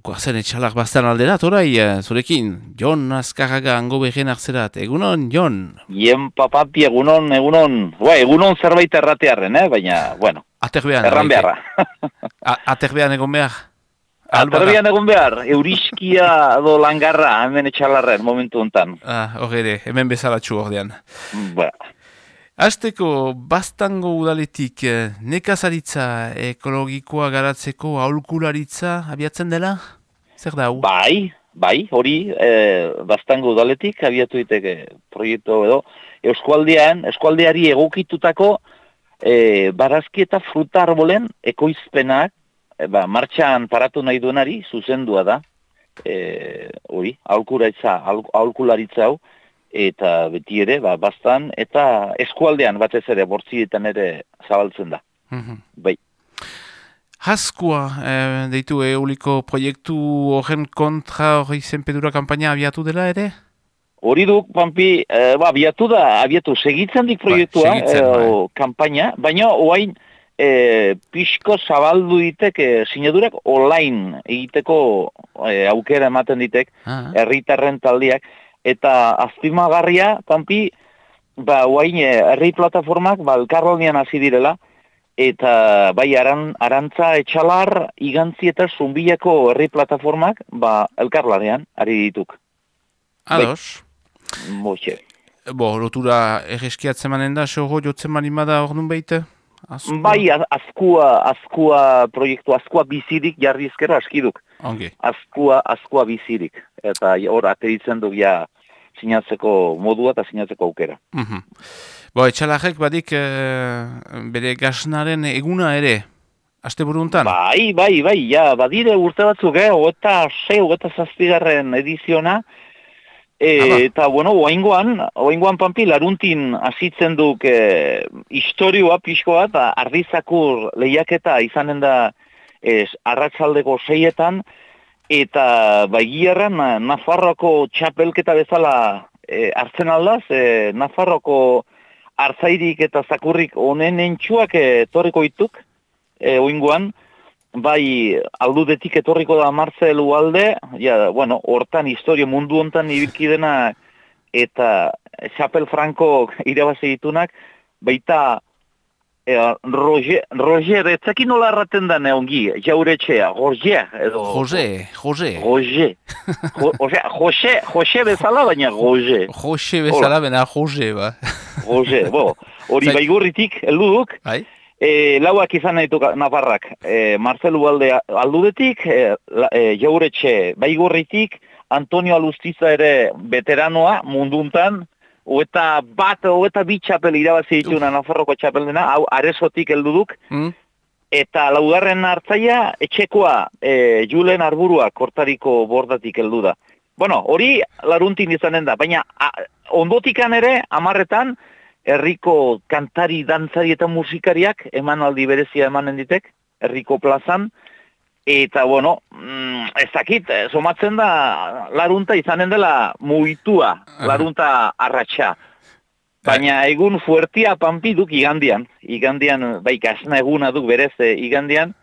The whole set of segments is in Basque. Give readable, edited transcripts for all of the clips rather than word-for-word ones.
Guazen etxalak bastan alderat, orai, zurekin, Jon Azkarraga hango behen hartzerat. Egunon, Jon? Ien papapi egunon. Egunon zerbait erratearren, baina, bueno, Aterbean, erran beharra. Aterbean egon behar? Aterbean egon behar, euriskia do langarra hemen etxalarren momentu honetan. Horre, hemen bezalatxu ordean. Ba. Azteko, bastango udaletik, nekazaritza ekologikoa garatzeko aholkularitza abiatzen dela? Zer da, hau? Bai, hori, bastango udaletik abiatu diteke proiektu edo. Eskualdeari egokitutako barazki eta fruta arbolen ekoizpenak, martxan paratu nahi duenari zuzendua da. Hori, aholkularitza hau. Eta beti ere, bastan, eta eskualdean batez ere, bortzietan ere zabaltzen da. Bai. Haskua, deitu euliko proiektu horren kontra hori zenpedura kampaina abiatu dela ere? Hori duk, Pampi, abiatu segitzen dik proiektua, kampaina, baina oain pixko zabaldu ditek sinadurak online egiteko aukera ematen ditek, herritarren taldeak, eta azpimagarria, Pampi, oain herri plataformak elkarlanean hasi direla, eta bai arantza etxalar, igantzi eta zumbilako herri plataformak elkarlanean ari dituk. Ados. Moxe. Lotura erreskiatzen manen da, soho jotzen manimada hor nun behite? Bai, azkua proiektu, azkua bizirik jarri ezkero askiduk. Ongi. Azkua bizirik. Eta hor ateritzen du sinatzeko modua eta sinatzeko aukera. Etxalarrek badik bere gasnaren eguna ere, asteburu hontan? Bai, badire urte batzuk, 27. ediziona, eta, oaingoan Pampi, laruntin azitzen duk historioa pixko bat, ardizakur lehiaketa izanen da arratsaldeko 6etan, eta gierran Nafarroako txapelketa bezala hartzen aldaz, Nafarroako hartzairik eta zakurrik honen entxuak etorriko dituk, oingoan, bai aldudetik etorriko da Marcel Ugalde, hortan historio mundu hontan ibilkidena eta Chapel Franco irabazi ditunak, baita Roger, etzakin nola erraten da neongi, jauretxea, Jose bezala, baina Roger. Jose bezala, baina Jose, ba. Jose, hori baigurritik, elduduk, lauak izan nahitu Navarrak, Marcel Ugalde aldudetik, jauretxe baigurritik, Antonio Alustiza ere veteranoa munduntan, Oeta bi txapel irabazi dituna Nafarroko txapeldena, hau aresotik helduduk, eta laugarren hartzaia etxekoa Julen Arburua kortariko bordatik heldu da. Hori laruntin izanen da, baina ondotikan ere, 10etan, herriko kantari, dantzari eta musikariak emanaldi berezia emanen ditek, herriko plazan, eta, ez dakit, somatzen da, larunta izanen dela mugitua, larunta arratsa. Baina egun fuertia Pampi duk igandian, gasna eguna duk berez igandian,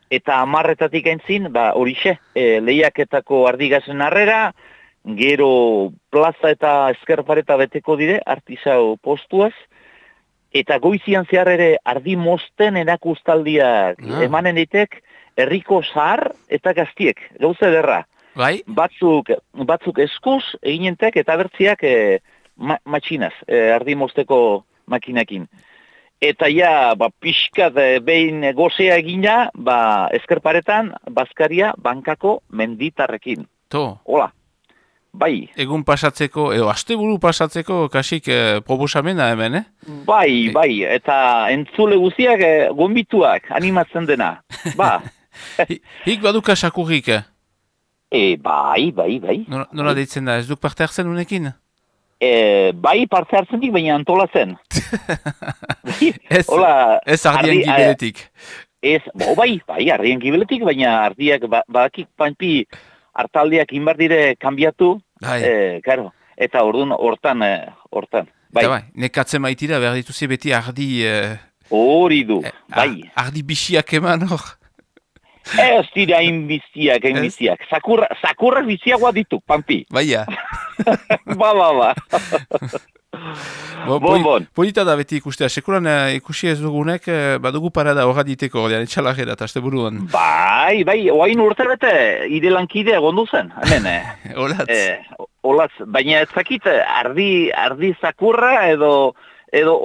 eta 10etatik aintzin, horixe, lehiaketako ardigazen harrera, gero plaza eta eskerpareta beteko dire, artisau postuaz, eta goizian zehar ere ardi mosten erakustaldiak emanen ditek, herriko zahar eta gaztiek, gauza ederra. Bai? Batzuk eskuz eginentek eta bertziak matxinaz, ardi mosteko makinakin. Eta pixkat behin gozea egina, eskerparetan, Bazkaria bankako menditarrekin. Hola. Bai. Egun pasatzeko, edo asteburu pasatzeko kasik proposamena hemen, Bai, eta entzule guziak gonbituak animatzen dena. Hik baduka sakurrik? Bai. Nola deitzen da, ez duk parte hartzen unekin? Bai, parte hartzen dik, baina antolatzen. Ez ardien gibeletik. Bai, ardien gibeletik, baina ardiak badakik Pampi hartaldiak inbardire kanbiatu, eta hortan. Bai. Nekatzen maitira, behar dituzi beti ardi... Hori du, bai. Ardi bixiak eman hor. Ez dira hainbiztiak. Zakurrak biziagoa ditu, Pampi. Baia. Ba. Bon. Polita da beti ikustea, sekuran ikusi ez dugunek, badugu parada horra diteko, etxalajera, eta azte buruan. Bai, oain urte bete, ide lankide egondu zen, hemen. Olatz, baina ez dakit, ardi zakurra edo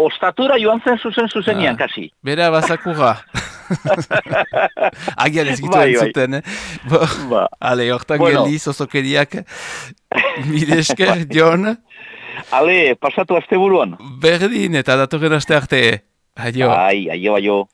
ostatura joan zen zuzenian, kasi. Bera bazakurra. Agian ez gitu entzuten, Ale, hortan geldi, zozokeriak, midesker, Jon. Ale, pasatu aste buruan. Berdin, eta datorren aste arte. Aio. Aio.